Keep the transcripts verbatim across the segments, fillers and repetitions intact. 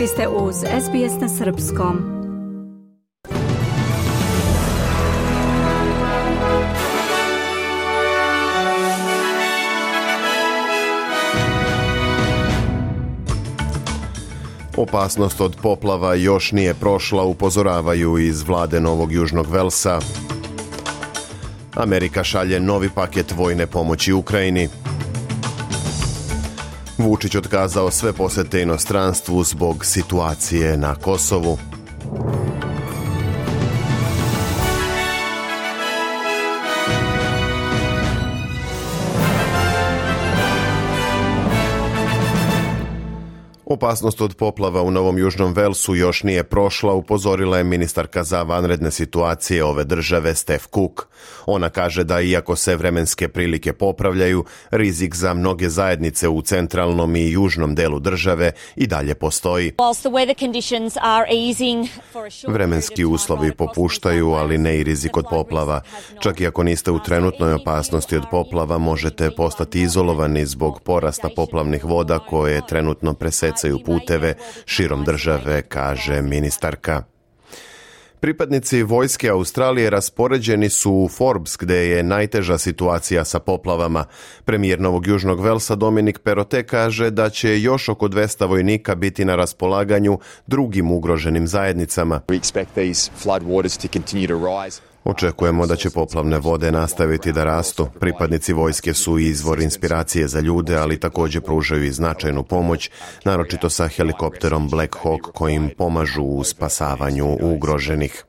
Vi ste uz S B S na srpskom. Opasnost od poplava još nije prošla, upozoravaju iz vlade Novog Južnog Velsa. Amerika šalje novi paket vojne pomoći Ukrajini. Vučić otkazao sve posete inostranstvu zbog situacije na Kosovu. Opasnost od poplava u Novom Južnom Velsu još nije prošla, upozorila je ministarka za vanredne situacije ove države Steph Cook. Ona kaže da iako se vremenske prilike popravljaju, rizik za mnoge zajednice u centralnom i južnom delu države i dalje postoji. Vremenski uslovi popuštaju, ali ne i rizik od poplava. Čak i ako niste u trenutnoj opasnosti od poplava, možete postati izolovani zbog porasta poplavnih voda koje trenutno presecaju puteve širom države, kaže ministarka. Pripadnici vojske Australije raspoređeni su u Forbes, gde je najteža situacija sa poplavama. Premijer Novog Južnog Velsa Dominic Perrottet kaže da će još oko dvesta vojnika biti na raspolaganju drugim ugroženim zajednicama. Očekujemo da će poplavne vode nastaviti da rastu. Pripadnici vojske su izvor inspiracije za ljude, ali također pružaju i značajnu pomoć, naročito sa helikopterom Black Hawk kojim pomažu u spasavanju ugroženih.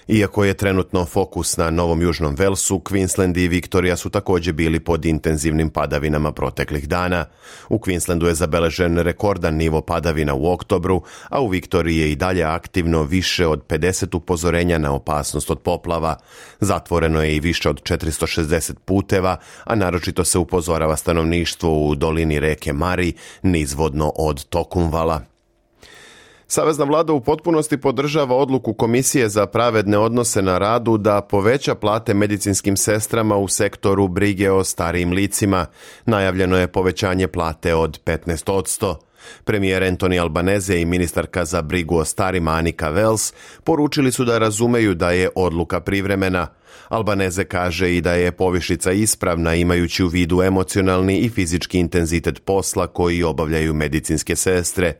Iako je trenutno fokus na Novom Južnom Velsu, Queensland i Viktorija su također bili pod intenzivnim padavinama proteklih dana. U Queenslandu je zabeležen rekordan nivo padavina u oktobru, a u Viktoriji je i dalje aktivno više od pedeset upozorenja na opasnost od poplava. Zatvoreno je i više od četiristo šezdeset puteva, a naročito se upozorava stanovništvo u dolini reke Mari, nizvodno od Tokumvala. Savezna vlada u potpunosti podržava odluku Komisije za pravedne odnose na radu da poveća plate medicinskim sestrama u sektoru brige o starijim licima. Najavljeno je povećanje plate od petnaest posto. Premijer Anthony Albanese i ministarka za brigu o starima Annika Wells poručili su da razumeju da je odluka privremena. Albanese kaže i da je povišica ispravna imajući u vidu emocionalni i fizički intenzitet posla koji obavljaju medicinske sestre.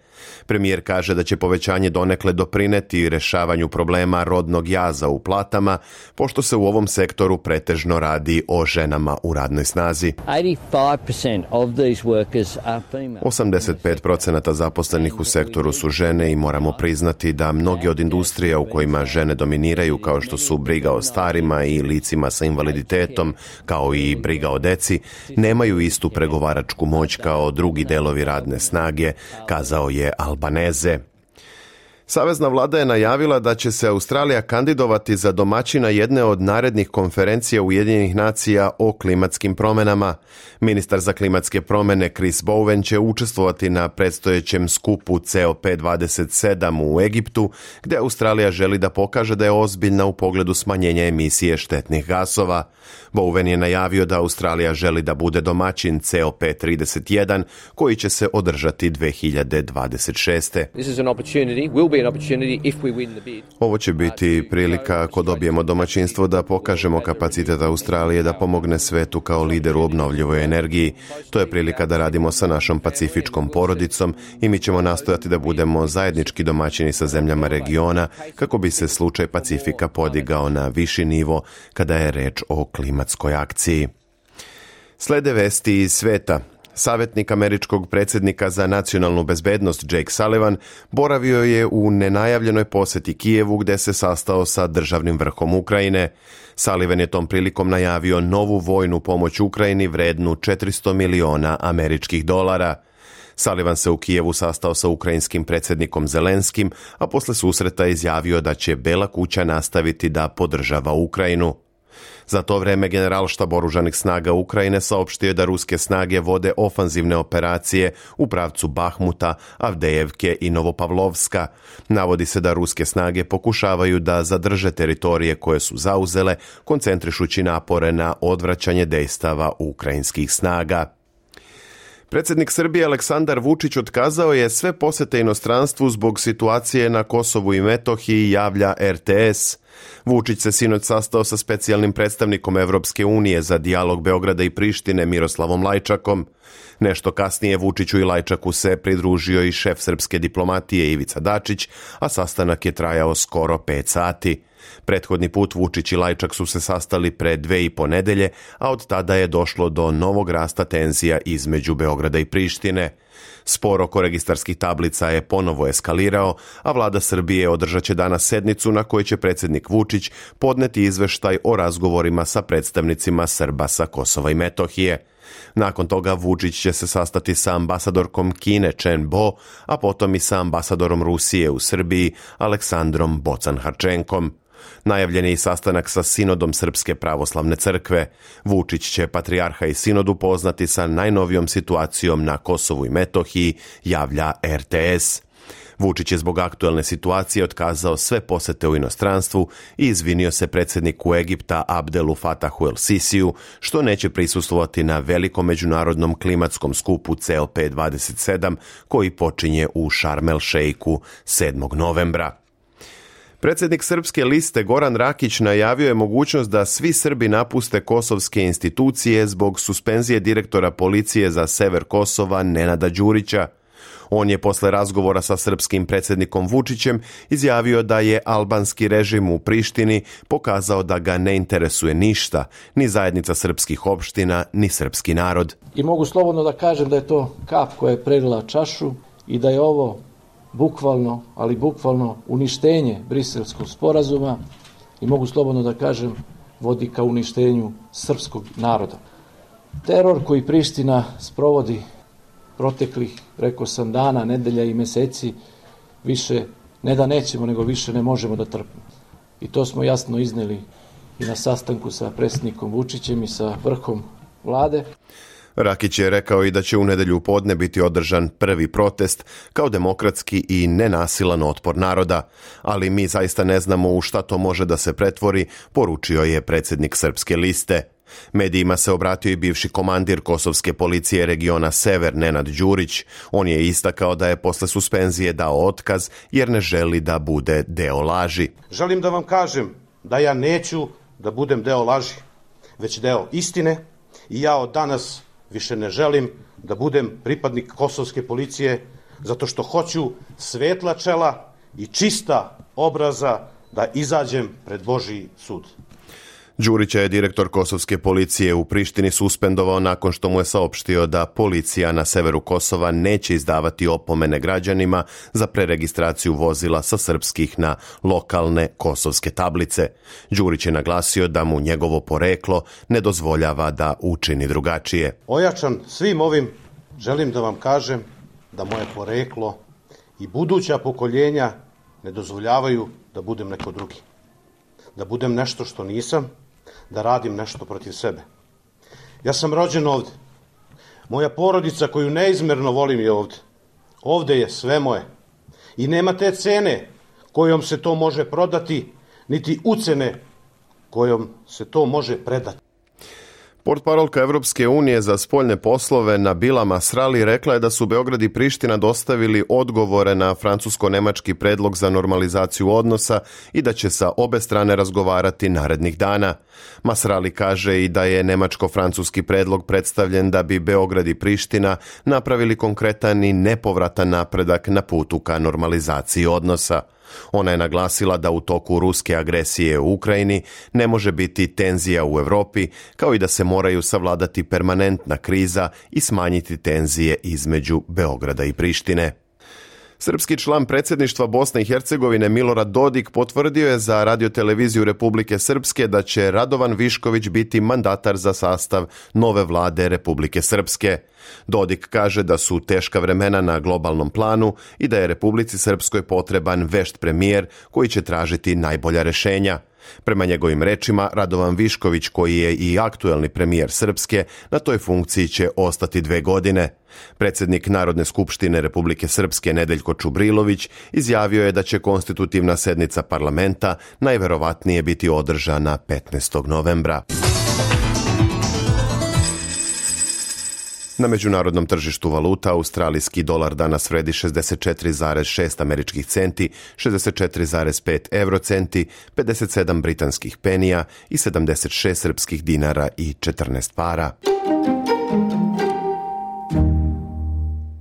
Premijer kaže da će povećanje donekle doprineti rešavanju problema rodnog jaza u platama, pošto se u ovom sektoru pretežno radi o ženama u radnoj snazi. osamdeset pet posto zaposlenih u sektoru su žene i moramo priznati da mnogi od industrija u kojima žene dominiraju, kao što su briga o starima i licima sa invaliditetom, kao i briga o deci, nemaju istu pregovaračku moć kao drugi delovi radne snage, kazao je Albanese. Savezna vlada je najavila da će se Australija kandidovati za domaćina jedne od narednih konferencija Ujedinjenih nacija o klimatskim promjenama. Ministar za klimatske promjene Chris Bowen će učestvovati na predstojećem skupu C O P dvadeset sedam u Egiptu, gdje Australija želi da pokaže da je ozbiljna u pogledu smanjenja emisije štetnih gasova. Bowen je najavio da Australija želi da bude domaćin C O P trideset jedan, koji će se održati dve hiljade dvadeset šeste. Ovo će biti prilika ako dobijemo domaćinstvo da pokažemo kapacitet Australije da pomogne svetu kao lider u obnovljivoj energiji. To je prilika da radimo sa našom pacifičkom porodicom i mi ćemo nastojati da budemo zajednički domaćini sa zemljama regiona kako bi se slučaj Pacifika podigao na viši nivo kada je reč o klimatskoj akciji. Slede vesti iz sveta. Savjetnik američkog predsjednika za nacionalnu bezbednost Jake Sullivan boravio je u nenajavljenoj posjeti Kijevu gdje se sastao sa državnim vrhom Ukrajine. Sullivan je tom prilikom najavio novu vojnu pomoć Ukrajini vrednu četiristo miliona američkih dolara. Sullivan se u Kijevu sastao sa ukrajinskim predsjednikom Zelenskim, a posle susreta izjavio da će Bela kuća nastaviti da podržava Ukrajinu. Za to vreme generalštab oružanih snaga Ukrajine saopštio je da ruske snage vode ofanzivne operacije u pravcu Bahmuta, Avdejevke i Novopavlovska. Navodi se da ruske snage pokušavaju da zadrže teritorije koje su zauzele, koncentrišući napore na odvraćanje dejstava ukrajinskih snaga. Predsjednik Srbije Aleksandar Vučić otkazao je sve posete inostranstvu zbog situacije na Kosovu i Metohiji, javlja er te es. Vučić se sinoć sastao sa specijalnim predstavnikom Evropske unije za dijalog Beograda i Prištine Miroslavom Lajčakom. Nešto kasnije Vučiću i Lajčaku se pridružio i šef srpske diplomatije Ivica Dačić, a sastanak je trajao skoro pet sati. Prethodni put Vučić i Lajčak su se sastali pre dve i po nedelje, a od tada je došlo do novog rasta tenzija između Beograda i Prištine. Spor oko registarskih tablica je ponovo eskalirao, a vlada Srbije održat će danas sednicu na kojoj će predsjednik Vučić podneti izveštaj o razgovorima sa predstavnicima Srba sa Kosova i Metohije. Nakon toga Vučić će se sastati sa ambasadorkom Kine Chen Bo, a potom i sa ambasadorom Rusije u Srbiji Aleksandrom Bocan-Harčenkom. Najavljen je i sastanak sa Sinodom Srpske pravoslavne crkve. Vučić će patrijarha i Sinod upoznati sa najnovijom situacijom na Kosovu i Metohiji, javlja er te es. Vučić je zbog aktuelne situacije otkazao sve posete u inostranstvu i izvinio se predsjedniku Egipta Abdelu Fatahu el Sisiju što neće prisustvovati na velikom međunarodnom klimatskom skupu ce el pe dvadeset sedam koji počinje u Šarm el Šejku sedmog novembra. Predsjednik Srpske liste Goran Rakić najavio je mogućnost da svi Srbi napuste kosovske institucije zbog suspenzije direktora policije za sever Kosova Nenada Đurića. On je posle razgovora sa srpskim predsjednikom Vučićem izjavio da je albanski režim u Prištini pokazao da ga ne interesuje ništa, ni zajednica srpskih opština, ni srpski narod. I mogu slobodno da kažem da je to kap koja je prelila čašu i da je ovo bukvalno, ali bukvalno uništenje Briselskog sporazuma i mogu slobodno da kažem vodi ka uništenju srpskog naroda. Teror koji Priština sprovodi proteklih, rekao sam, dana, nedelja i meseci, više ne da nećemo, nego više ne možemo da trpimo. I to smo jasno izneli i na sastanku sa predsjednikom Vučićem i sa vrhom vlade. Rakić je rekao i da će u nedelju podne biti održan prvi protest kao demokratski i nenasilan otpor naroda, ali mi zaista ne znamo u šta to može da se pretvori, poručio je predsjednik Srpske liste. Medijima se obratio i bivši komandir kosovske policije regiona Sever Nenad Đurić. On je istakao da je posle suspenzije dao otkaz jer ne želi da bude deo laži. Želim da vam kažem da ja neću da budem deo laži, već deo istine i ja od danas više ne želim da budem pripadnik kosovske policije zato što hoću svetla čela i čista obraza da izađem pred Božji sud. Đurića je direktor kosovske policije u Prištini suspendovao nakon što mu je saopštio da policija na severu Kosova neće izdavati opomene građanima za preregistraciju vozila sa srpskih na lokalne kosovske tablice. Đurić je naglasio da mu njegovo poreklo ne dozvoljava da učini drugačije. Ojačan svim ovim želim da vam kažem da moje poreklo i buduća pokoljenja ne dozvoljavaju da budem neko drugi. Da budem nešto što nisam, da radim nešto protiv sebe. Ja sam rođen ovdje. Moja porodica koju neizmjerno volim je ovdje. Ovdje je sve moje. I nema te cene kojom se to može prodati, niti ucene kojom se to može predati. Portparolka Evropske unije za spoljne poslove Nabila Masrali rekla je da su Beograd i Priština dostavili odgovore na francusko-nemački predlog za normalizaciju odnosa i da će sa obe strane razgovarati narednih dana. Masrali kaže i da je nemačko-francuski predlog predstavljen da bi Beograd i Priština napravili konkretan i nepovratan napredak na putu ka normalizaciji odnosa. Ona je naglasila da u toku ruske agresije u Ukrajini ne može biti tenzija u Europi, kao i da se moraju savladati permanentna kriza i smanjiti tenzije između Beograda i Prištine. Srpski član predsjedništva Bosne i Hercegovine Milorad Dodik potvrdio je za radioteleviziju Republike Srpske da će Radovan Višković biti mandatar za sastav nove vlade Republike Srpske. Dodik kaže da su teška vremena na globalnom planu i da je Republici Srpskoj potreban vešt premijer koji će tražiti najbolja rešenja. Prema njegovim rečima, Radovan Višković, koji je i aktuelni premijer Srpske, na toj funkciji će ostati dve godine. Predsjednik Narodne skupštine Republike Srpske Nedeljko Čubrilović izjavio je da će konstitutivna sednica parlamenta najverovatnije biti održana petnaestog novembra. Na međunarodnom tržištu valuta australijski dolar danas vredi šezdeset četiri zarez šest američkih centi, šezdeset četiri zarez pet eurocenti, pedeset sedam britanskih penija i sedamdeset šest srpskih dinara i četrnaest para.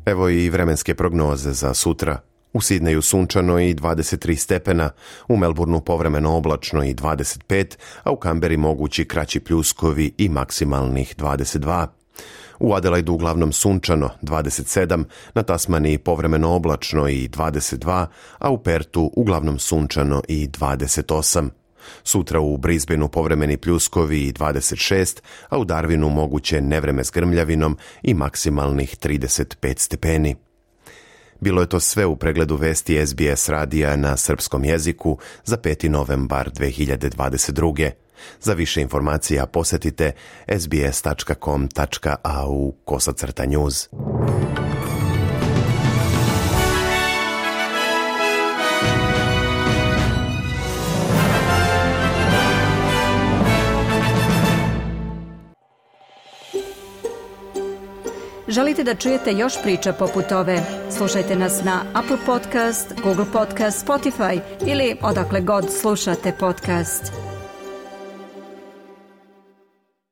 Evo i vremenske prognoze za sutra. U Sidneju sunčano i dvadeset tri stepena, u Melbourneu povremeno oblačno i dvadeset pet, a u Kamberi mogući kraći pljuskovi i maksimalnih dvadeset dva. U Adelaidu uglavnom sunčano dvadeset sedam, na Tasmaniji povremeno oblačno i dvadeset dva, a u Pertu uglavnom sunčano i dvadeset osam. Sutra u Brisbaneu povremeni pljuskovi i dvadeset šest, a u Darwinu moguće nevreme s grmljavinom i maksimalnih trideset pet stepeni. Bilo je to sve u pregledu vesti S B S radija na srpskom jeziku za peti novembar dve hiljade dvadeset druge. Za više informacija posjetite sbs tačka com tačka a u kosacrta news. Želite da čujete još priča poput ove? Slušajte nas na Apple Podcast, Google Podcast, Spotify ili odakle god slušate podcast.